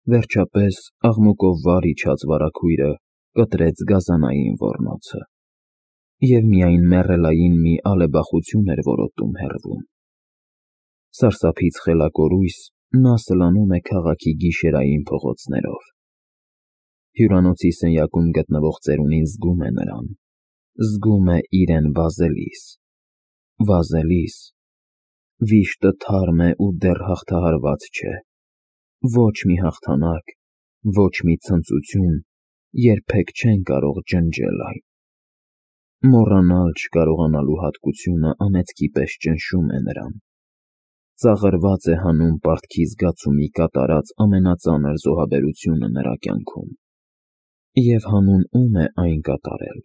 Վերջապես աղմուկով վար իջած վարագույրը կտրեց գազանային ոռնոցը, և միայն մեռելային մի ալեբախություն էր որոտում հեռվում։ Սարսափից խելակորույս նա սլանում է քաղաքի գիշերային փողոցներով։ Հյուրանոցի սենյակում գտնվող ծերունին զգում է նրան, զգում է իրեն վազելիս, վիշտը թարմ է ու դեռ հաղթահարված չէ, ոչ մի հաղթանակ, ոչ մի ցնծություն երբեք չեն կարող ջնջել այն։ Մոռանալ չկարողանալու հատկությունը անեծքի պես ճնշում է նրան, ծաղրված է հանում պարտքի զգացումի կատարած ամենածանր զոհաբերությունը նրա կյանքում։ Եվ հանուն ում է այն կատարել։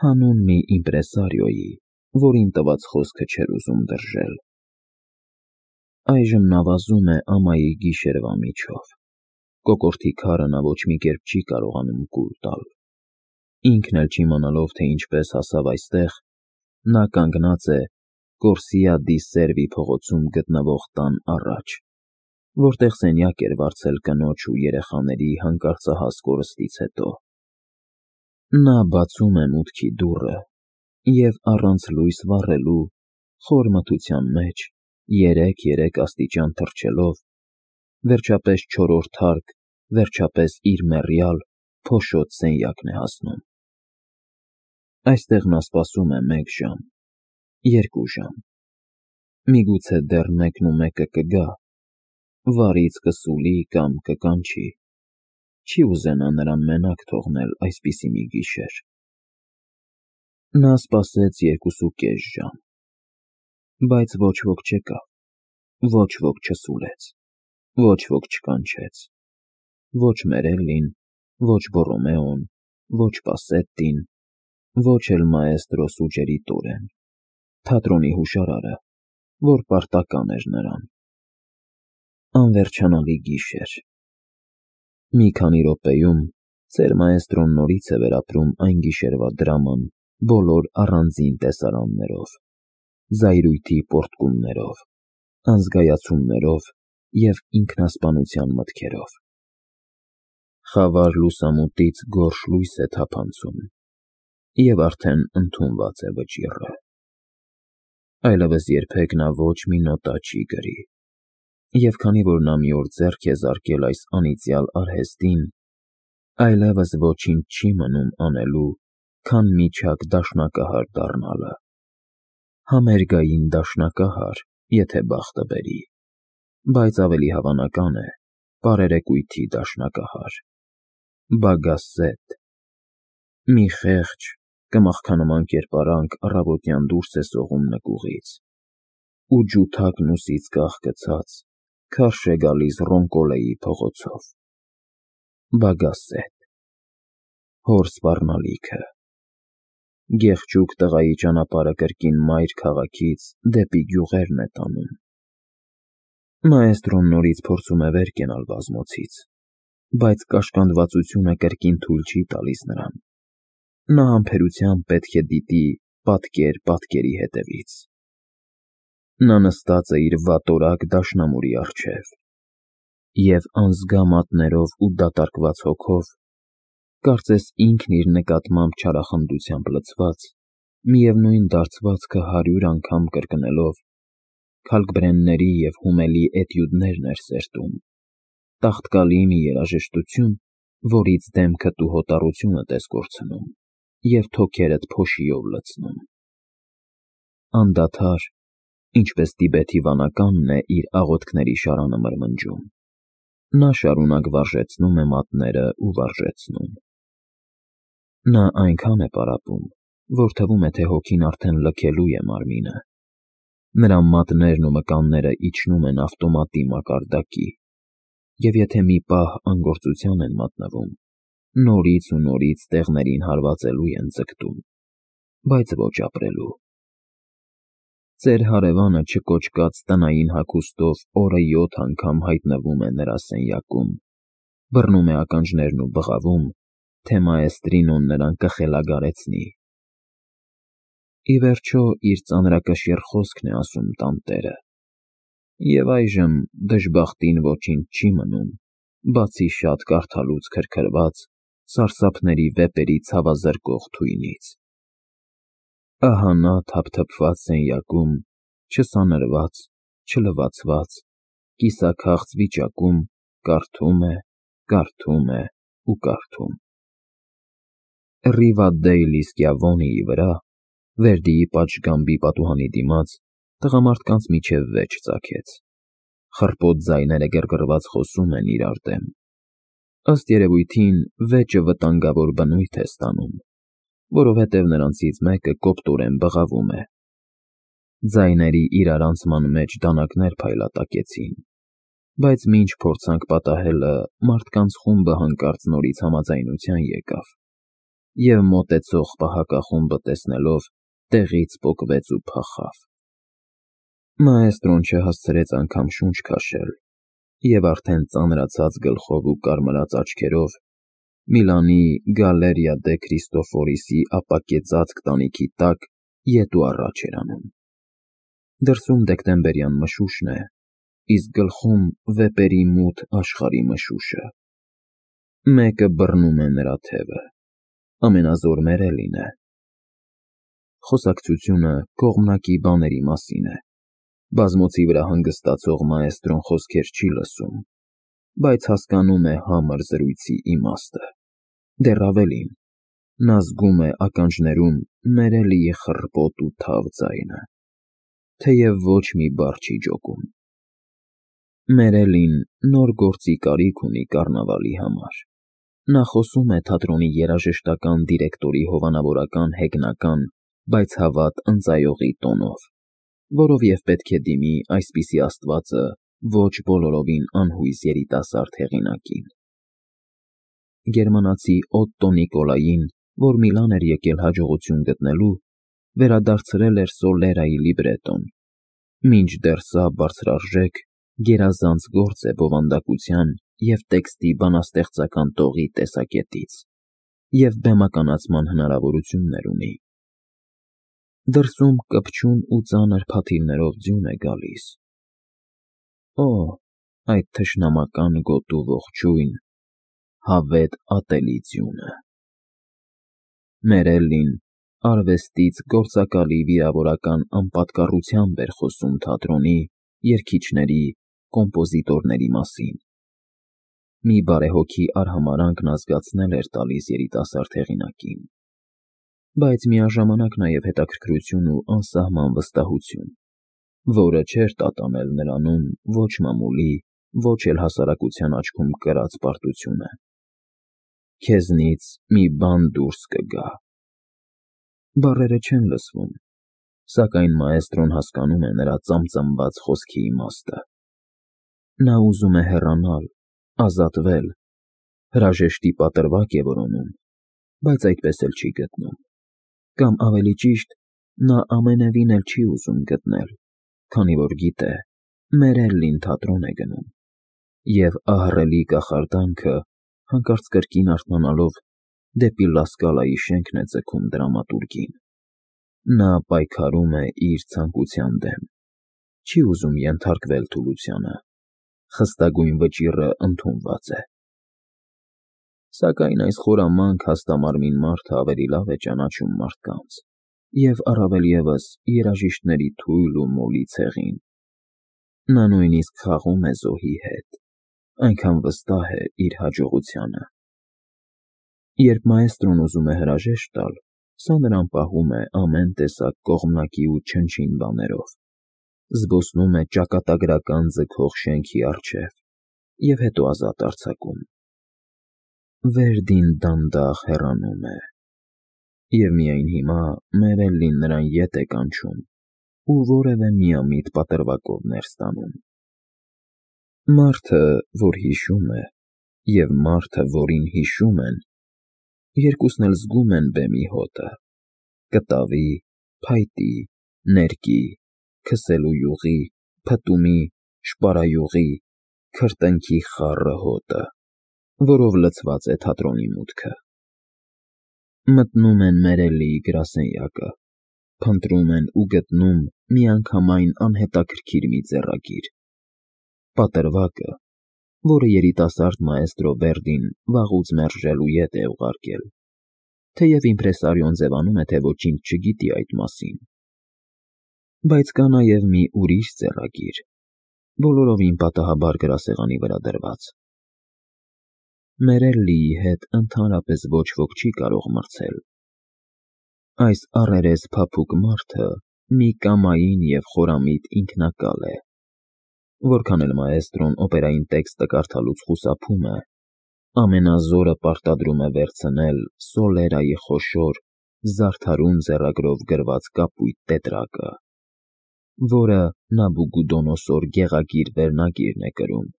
Հանուն մի իմպրեսարիոյի, որին տված խոսքը չէր ուզում դրժել։ Այժմ նա վազում է ամայի գիշերվա միջով։ Կոկորդի քարը նա ոչ մի կերպ չի կարողանում կուլ տալ։ Ինքն էլ չիմանալով, թե ինչպես հասավ այստեղ, նա կանգնած է Կորսիա դի Սերվի փողոցում գտնվող տան առաջ, որտեղ սենյակ էր վարձել կնոջ ու երեխաների հանկարծահաս կորստից հետո։ Նա բացում է մուտքի դուռը և առանց լույս վառելու, խոր մթության մեջ, 3 աստիճան թռչելով, վերջապես չորրորդ հարկ, վերջապես իր մեռյալ, փոշոտ սենյակն է հասնում։ Այստեղ նա սպասում է 1 ժամ, 2 ժամ, միգուցե դեռ 1 կգա, վարից կսուլի կամ կկանչի, չի ուզենա նրան մենակ թողնել այսպիսի մի գիշեր։ Նա սպասեց 2.5 ժամ, բայց ոչ ոք չեկավ, ոչ ոք չսուլեց, ոչ ոք չկանչեց, ոչ Մերելլին, ոչ Բոռոմեոն, ոչ Պասետտին, ոչ էլ մաեստրո Սուջերիտորեն, թատրոնի հուշարարը, որ պարտական էր նրան։ Անվերջանալի գիշեր։ Մի քանի րոպեում ծեր մաեստրոն նորից է վերապրում այն գիշերվա դրաման բոլոր առանձին տեսարաններով, զայրույթի պոռթկումներով, անզգայացումներով և ինքնասպանության մտքերով։ Խավար լուսամուտից գորշ լույս է թափանցում, և արդեն ընդունված է վճիռը։ Այլևս երբեք նա ոչ մի նոտա չի գրի, և քանի որ նա մի օր ձեռք է զարկել այս անիծյալ արհեստին, այլևս ոչինչ չի մնում անելու, քան միջակ դաշնակահար դառնալը։ Համերգային դաշնակահար, եթե բախտը բերի, բայց ավելի հավանական է պարերեկույթի դաշնակահար։ Բագասետ։ Մի խեղճ, կմախքանման կերպարանք առավոտյան դուրս է սողում նկուղից, ու ջութակն ուսից կախկցած, քարշ է գալիս Ռոնկոլեի փողոցով։ Բագասետ։ Հոր սպառնալիքը։ Գեղջուկ տղայի ճանապարհը կրկին մայր քաղաքից դեպի գյուղերն է տանում։ Մաեստրոն նորից փորձում է վեր կենալ բազմոցից, բայց կաշկանդվածությունը կրկին թույլ չի տալիս նրան։ Նա համբերությամբ պետք է դիտի պատկեր պատկերի հետևից։ Նա նստած է իր վատորակ դաշնամուրի առջև և անզգա մատներով ու դատարկված հոգով, կարծես ինքն իր նկատմամբ չարախնդությամբ լցված, միևնույն դարձվածքը 100 անգամ կրկնելով, Քալկբրենների և Հումելի էտյուդներն էր սերտում, տաղտկալի մի երաժշտություն, որից դեմքդ ու հոտառությունդ ես կորցնում և թոքերդ փոշիով լցնում։ Անդադար, ինչպես Տիբեթի վանականն է իր աղոթքների շարանը մրմնջում, նա շարունակ վարժեցնում է մատները ու վարժեցնում։ Նա այնքան է պարապում, որ թվում է, թե հոգին արդեն լքելու է մարմինը։ Նրա մատներն ու մկանները իջնում են ավտոմատի մակարդակի, և եթե մի պահ անգործության են մատնվում, նորից ու նորից տեղներին հարվածելու են ձգտում, բայց ոչ ապրելու։ Ծեր հարևանը չկոչկած տնային հագուստով օրը 7 անգամ հայտնվում է նրա սենյակում, բռնում է ականջներն ու բղավում, թե մաեստրինոն նրան կխելագարեցնի։ Ի վերջո, իր ծանրակշիռ խոսքն է ասում տանտերը, և այժմ դժբախտին ոչինչ չի մնում, բացի շատ կարդալուց քրքրված, սարսափների վեպերի ցավազրկող թույնից։ Ահա նա թափթփված սենյակում, չսանրված, չլվացված, կիսաքաղց վիճակում կարդում է ու կարդում։ Ռիվադդեյլի Սկյավոնիի վրա, Վերդիի պատշգամբի պատուհանի դիմաց, տղամարդկանց միջև վեճ ծագեց։ Խռպոտ ձայները գրգռված խոսում են իրար դեմ։ Ըստ երևույթին, վեճը վտանգավոր բնույթ է ստանում, որովհետև նրանցից մեկը կոպտորեն բղավում է։ Ձայների իրարանցման մեջ դանակներ փայլատակեցին, բայց մինչ փորձանք պատահելը, մարդկանց խումբը հանկարծ նորից համաձայնության եկավ, և մոտեցող պահակախումբը տեսնելով, տեղից պոկվեց ու փախավ։ Մաեստրոն չհասցրեց անգամ շունչ քաշել, և արդեն ծանրացած գլխով ու կարմրած աչքերով Միլանի Գալերիա դե Քրիստոֆորիսի ապակեցածք տանիքի տակ ետ ու առաջ էր անում։ Դրսում դեկտեմբերյան մշուշն է, իսկ գլխում վեպերի մութ աշխարհի մշուշը։ Մեկը բռնում է նրա թևը, ամենազոր Մերելին է։ Խոսակցությունը կողմնակի բաների մասին է։ Բազմոցի վրա հանգստացող մաեստրոն խոսքեր չի լսում, բայց հասկանում է համր զրույցի իմաստը։ Դեռ ավելին, նա զգում է ականջներում Մերելիի խռպոտ ու թավ ձայնը, թեև ոչ մի բառ չի ջոկում։ Մերելին նոր գործի կարիք ունի կառնավալի համար։ Նա խոսում է թատրոնի երաժշտական դիրեկտորի հովանավորական հեգնական, բայց հավատ ընծայողի տոնով, որով և պետք է դիմի այսպիսի աստվածը ոչ բոլորովին անհույս երիտասարդ հեղինակին։ Գերմանացի Օտտո Նիկոլային, որ Միլան էր եկել հաջողություն գտնելու, վերադարձրել էր Սոլերայի լիբրետոն, մինչդեռ սա բարձրարժեք, գերազանց գործ է բովանդակության և տեքստի բանաստեղծական տողի տեսակետից, և բեմականացման հնարավորություններ ունի։ Դրսում կպչուն ու ծանր փաթիլներով ձյուն է գալիս։ Օ, այդ թշնամական գոտու ողջույն, հավետ ատելի ձյունը։ Մերելին արվեստից գործակալի վիրավորական անպատկառությամբ էր խոսում թատրոնի, երգիչների, կոմպոզիտորների մասին։ Մի բարեհոգի արհամարհանք նա զգացնել էր տալիս երիտասարդ հեղինակին, բայց միաժամանակ նաև հետաքրքրություն ու անսահման վստահություն, որը չէր տատանել նրանում ոչ մամուլի, ոչ էլ հասարակության աչքում կրած պարտությունը։ Քեզնից մի բան դուրս կգա։ Բառերը չեն լսվում, սակայն մաեստրոն հասկանում է նրա ծամծամված խոսքի իմաստը։ Նա ուզում է հեռանալ, ազատվել, հրաժեշտի պատրվակ է որոնում, բայց այդպես էլ չի գտնում։ Կամ ավելի ճիշտ, նա ամենևին էլ չի ուզում գտնել, քանի որ գիտե, Մերելին թատրոն է գնում, և ահռելի կախարդանքը, հանկարծ կրկին արթնանալով, դեպի Լա Սկալայի շենքն է ձգում դրամատուրգին։ Նա պայքարում է իր ցանկության դեմ, չի ուզում ենթարկվել թուլությանը, խստագույն վճիռը ընդունված է։ Սակայն այս խորամանկ հաստամարմին մարդը ավելի լավ է ճանաչում մարդկանց, և առավել ևս երաժիշտների թույլ ու մոլի ցեղին։ Նա նույնիսկ խաղում է զոհի հետ, այնքան վստահ է իր հաջողությանը։ Երբ մաեստրոն ուզում է հրաժեշտ տալ, սա նրան պահում է ամեն տեսակ կողմնակի ու չնչին բաներով, զբոսնում է ճակատագրական ձգող շենքի առջև և հետո ազատ արձակում։ Վերդին դանդաղ հեռանում է, և միայն հիմա Մերելին նրան ետ է կանչում ու որևէ միամիտ պատրվակով ներս տանում։ Մարդը, որ հիշում է, և մարդը, որին հիշում են, երկուսն էլ զգում են բեմի հոտը, կտավի, փայտի, ներկի, քսելու յուղի, փտումի, շպարայուղի, քրտինքի խառը հոտը, որով լցված է թատրոնի մուտքը։ Մտնում են Մերելիի գրասենյակը, փնտրում են ու գտնում միանգամայն անհետաքրքիր մի ձեռագիր։ Պատրվակը, որը երիտասարդ մաեստրո Վերդին վաղուց մերժելու ետ է ուղարկել, թեև իմպրեսարիոն ձևանում է, թե ոչինչ չգիտի այդ մասին։ Բայց կա նաև մի ուրիշ ձեռագիր, բոլորովին պատահաբար գրասեղանի վրա դրված։ Մերելլիի հետ ընդհանրապես ոչ ոք չի կարող մրցել։ Այս առերես փափուկ մարդը մի կամային և խորամիտ ինքնակալ է։ Որքան էլ մաեստրոն օպերային տեքստը կարդալուց խուսափում է, ամենազորը պարտադրում է վերցնել Սոլերայի խոշոր, զարդարուն ձեռագրով գրված կապույտ տետրակը, որը Նաբուգուդոնոսոր գեղագիր վերնագիրն է կրում։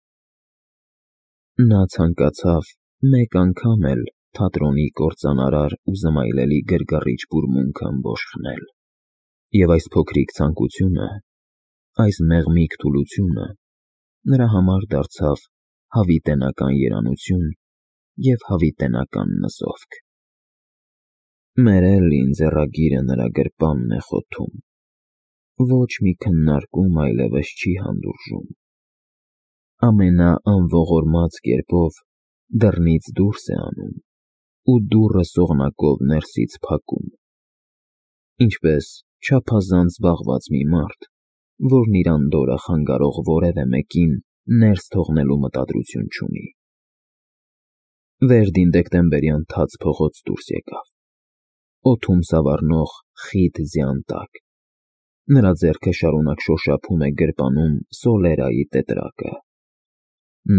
Նա ցանկացավ մեկ անգամ էլ թատրոնի կործանարար ու զմայլելի գրգռիչ բուրմունքը ըմբոշխնել, և այս փոքրիկ ցանկությունը, այս մեղմիկ թուլությունը նրա համար դարձավ հավիտենական երանություն և հավիտենական նզովք։ Մերելլին ձեռագիրը նրա գրպանն է խոթում, ոչ մի քննարկում այլևս չի հանդուրժում։ Ամենաանողորմած կերպով դռնից դուրս է անում ու դուռը սողնակով ներսից փակում, ինչպես չափազանց զբաղված մի մարդ, որն իր անդորրը խանգարող որևէ մեկին ներս թողնելու մտադրություն չունի։ Վերդին դեկտեմբերյան թաց փողոց դուրս եկավ, օդում սավառնող խիտ ձյան տակ։ Նրա ձեռքը շարունակ շոշափում է գրպանում Սոլերայի տետրակը։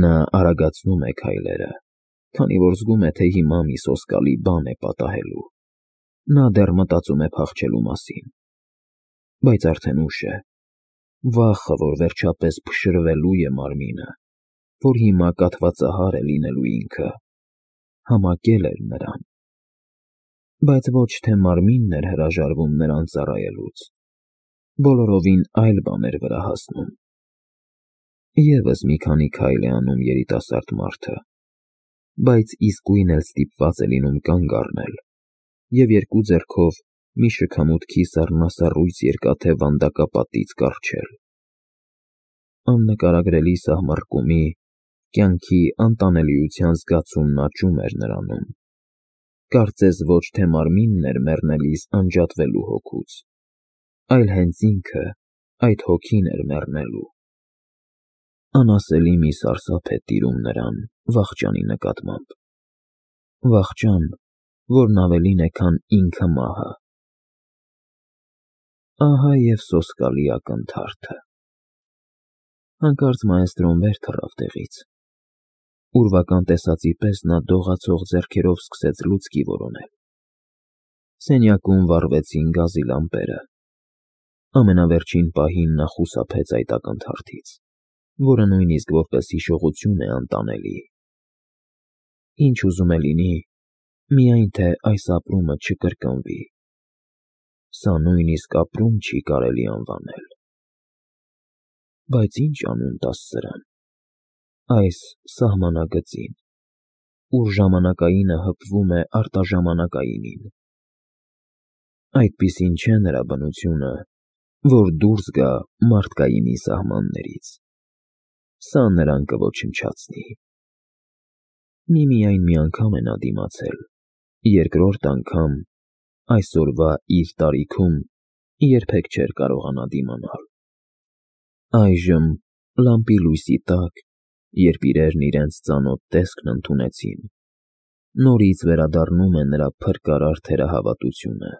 Նա արագացնում է քայլերը, քանի որ զգում է, թե հիմա մի սոսկալի բան է պատահելու։ Նա դեռ մտածում է փախչելու մասին, բայց արդեն ուշ է։ Վախը, որ վերջապես փշրվելու է մարմինը, որ հիմա կաթվածահար է լինելու ինքը, համակել էր նրան։ Բայց ոչ թե մարմինն էր հրաժարվում նրան ծառայելուց, բոլորովին այլ բան էր վրա հասնում։ Եվս մի քանի քայլ է անում երիտասարդ մարդը, բայց իսկույն էլ ստիպված է լինում կանգ առնել և երկու ձեռքով մի շքամուտքի սառնասառույց երկաթե վանդակապատից կառչել։ Աննկարագրելի սահմռկումի, կյանքի անտանելիության զգացումն աճում էր նրանում, կարծես ոչ թե մարմինն էր մեռնելիս անջատվելու հոգուց, այլ հենց ինքը այդ հոգին էր մեռնելու։ Անասելի մի սարսափ է տիրում նրան վախճանի նկատմամբ, վախճան, որն ավելին է, քան ինքը մահը։ Ահա և սոսկալի ակնթարթը։ Հանկարծ մաեստրոն վեր թռավ տեղից։ Ուրվական տեսածի պես նա դողացող ձեռքերով սկսեց լուցկի որոնել։ Սենյակում վառվեցին գազի լամպերը։ Ամենավերջին պահին նա խուսափեց այդ ակնթարթից, որը նույնիսկ որպես հիշողություն է անտանելի։ Ինչ ուզում է լինի, միայն թե այս ապրումը չկրկնվի։ Սա նույնիսկ ապրում չի կարելի անվանել։ Բայց ինչ անուն տաս սրան, այս սահմանագծին, ուր ժամանակայինը հպվում է արտաժամանակայինին։ Այդպիսին չէ նրա բնությունը, որ դուրս գա մարդկայինի սահմաններից։ Սա նրան կոչնչացնի։ Միմիայն մի անգամ է նա դիմացել, երկրորդ անգամ այսօրվա իր տարիքում երբեք չէր կարողանա դիմանալ։ Այժմ, լամպի լույսի տակ, երբ իրերն իրենց ծանոթ տեսքն ընդունեցին, նորից վերադառնում է նրա փրկարար թերահավատությունը,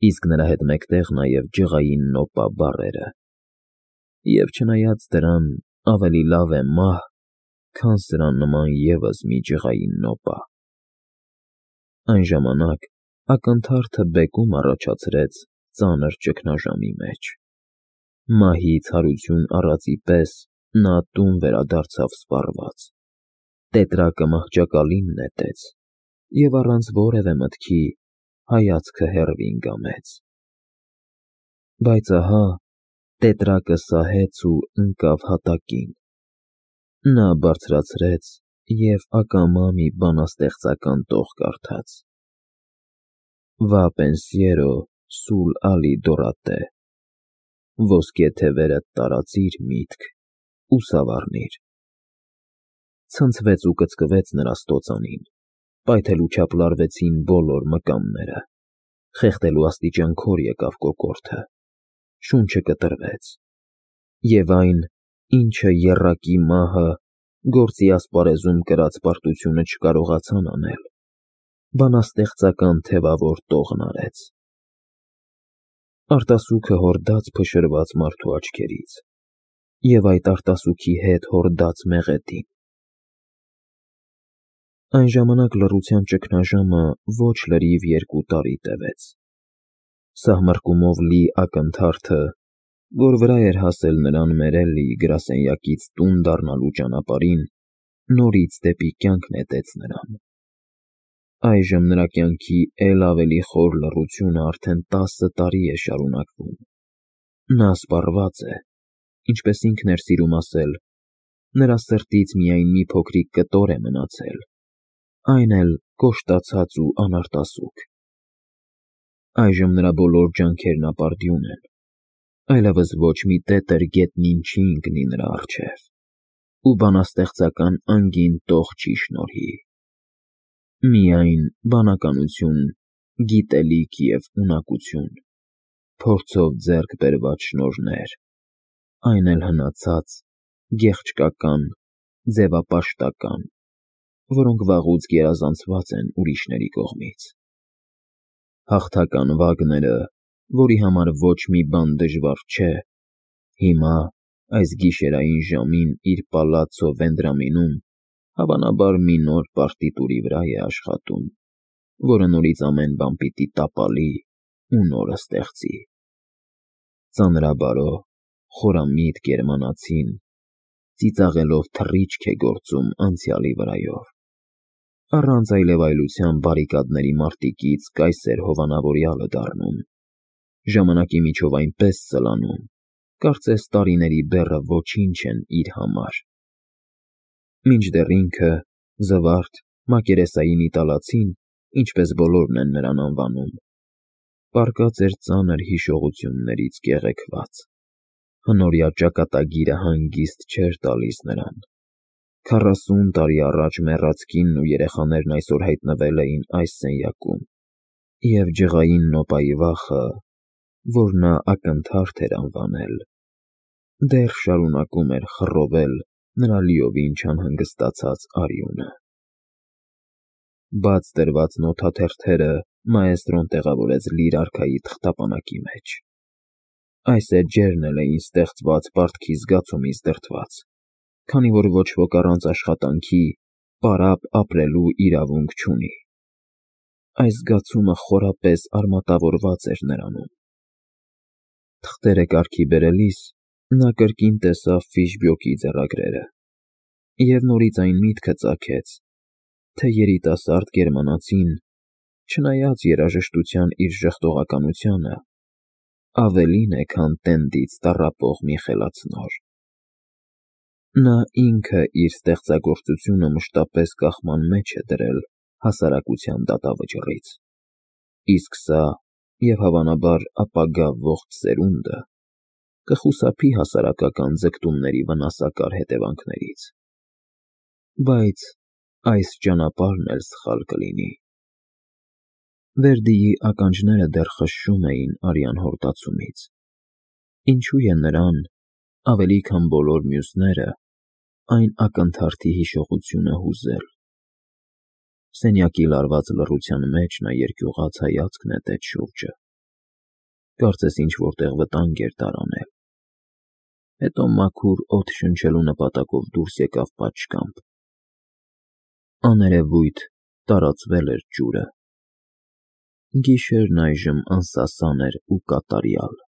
իսկ նրա հետ մեկտեղ նաև ջղային նոպա բառերը։ Եվ չնայած դրան ավելի լավ է մահ, քան սրան նման ևս մի ջղային նոպա։ Այն ժամանակ ակնթարթը բեկում առաջացրեց ծանր ճգնաժամի մեջ։ Մահից հարություն առածի պես նա տուն վերադարձավ սպառված։ Տետրակը մահճակալին նետեց և առանց որևէ մտքի հայացքը հեռվին կամեց։ Բայց ահա տետրակը սահեց ու ընկավ հատակին։ Նա բարձրացրեց և ակամա մի բանաստեղծական տող կարդաց. «Va pensiero sul Ալիդորատե» ոսկե թևերդ տարածիր միտք ու սավառնիր։ ցնցվեց ու կծկվեց նրա ստոծանին, պայթել ու չափլարվեցին բոլոր մկանները, խեղդելու աստիճան քոր եկավ կոկորդը, շունչը կտրվեց, և այն, ինչը եռակի մահը գործի ասպարեզում կրած պարտությունը չկարողացան անել, բանաստեղծական թևավոր տողն արեց։ Արտասուքը հորդաց փշրված մարդու աչքերից, և այդ արտասուքի հետ հորդաց մեղեդին։ Այն ժամանակ լռության ճգնաժամը ոչ լրիվ 2 տարի տևեց։ Սահմռկումով լի ակնթարթը, որ վրա էր հասել նրան Մերելլիի գրասենյակից տուն դառնալու ճանապարհին, նորից դեպի կյանք նետեց նրան։ Այժմ նրա կյանքի էլ ավելի խոր լռությունը արդեն 10 տարի է շարունակվում։ Նա սպառված է, ինչպես ինքն էր սիրում ասել, նրա սրտից միայն մի փոքրիկ կտոր է մնացել, այն էլ կոշտացած ու անարտասուք։ Այժմ նրա բոլոր ջանքերն ապարդյուն են, այլևս ոչ մի տետր գետնին չի ընկնի նրա առջև, ու բանաստեղծական անգին տող չի շնորհի։ Միայն բանականություն, գիտելիք և ունակություն, փորձով ձեռք բերված շնորհներ, այն էլ հնացած, գեղչկական, ձևապաշտական, որոնք վաղուց գերազանցված են ուրիշների կողմից։ Հաղթական Վագները, որի համար ոչ մի բան դժվար չէ, հիմա, այս գիշերային ժամին իր պալացցո Վենդրամինում, հավանաբար մի նոր պարտիտուրի վրա է աշխատում, որը նորից ամեն բան պիտի տապալի ու նորը ստեղծի։ Ծանրաբարո, խորամիտ գերմանացին ծիծաղելով թռիչք է գործում անցյալի վրայով, առանց այլևայլության բարիկադների մարտիկից կայսեր հովանավորյալը դառնում, ժամանակի միջով այնպես սլանում, կարծես տարիների բեռը ոչինչ են իր համար։ Մինչդեռ ինքը, Զվարթ, մակերեսային իտալացին, ինչպես բոլորն են նրան անվանում, պառկած էր ծանր հիշողություններից կեղեքված։ Հնորյա ճակատագիրը հանգիստ չէր տալիս նրան։ 40 տարի առաջ մեռած կինն ու երեխաներն այսօր հայտնվել էին այս սենյակում, և ջղային նոպայի վախը, որ նա ակնթարթ էր անվանել, դեռ շարունակում էր խռովել նրա լիովին չանհանգստացած արյունը։ Բաց դրված նոթաթերթերը մաեստրոն տեղավորեց լիր արքայի թղթապանակի մեջ։ Այս էջերն էլ էին ստեղծված պարտքի զգացումից դրդված, քանի որ ոչ ոք առանց աշխատանքի պարապ ապրելու իրավունք չունի։ Այս զգացումը խորապես արմատավորված էր նրանում։ Թղթերը կարգի բերելիս նա կրկին տեսավ Ֆիշբյոկի ձեռագրերը և նորից այն միտքը ծագեց, թե երիտասարդ գերմանացին, չնայած երաժշտության իր ժխտողականությանը, ավելին է, քան տենդից տառապող մի խելացնոր։ Նա ինքը իր ստեղծագործությունը մշտապես կախման մեջ է դրել հասարակության դատավճռից, իսկ սա և հավանաբար ապագա ողջ սերունդը կխուսափի հասարակական ձգտումների վնասակար հետևանքներից։ Բայց այս ճանապարհն էլ սխալ կլինի։ Վերդիի ականջները դեռ խշշում էին արյան հորդացումից, ինչու է նրան, ավելի քան բոլոր մյուսները, այն ակնթարթի հիշողությունը հուզել։ Սենյակի լարված լռության մեջ նա երկյուղած հայացք նետեց շուրջը, կարծես ինչ֊որ տեղ վտանգ էր տարանել։ Հետո մաքուր օդ շնչելու նպատակով դուրս եկավ պատշգամբ։ Աներևույթ տարածվել էր ջուրը։ Գիշերն այժմ անսասան էր ու կատարյալ։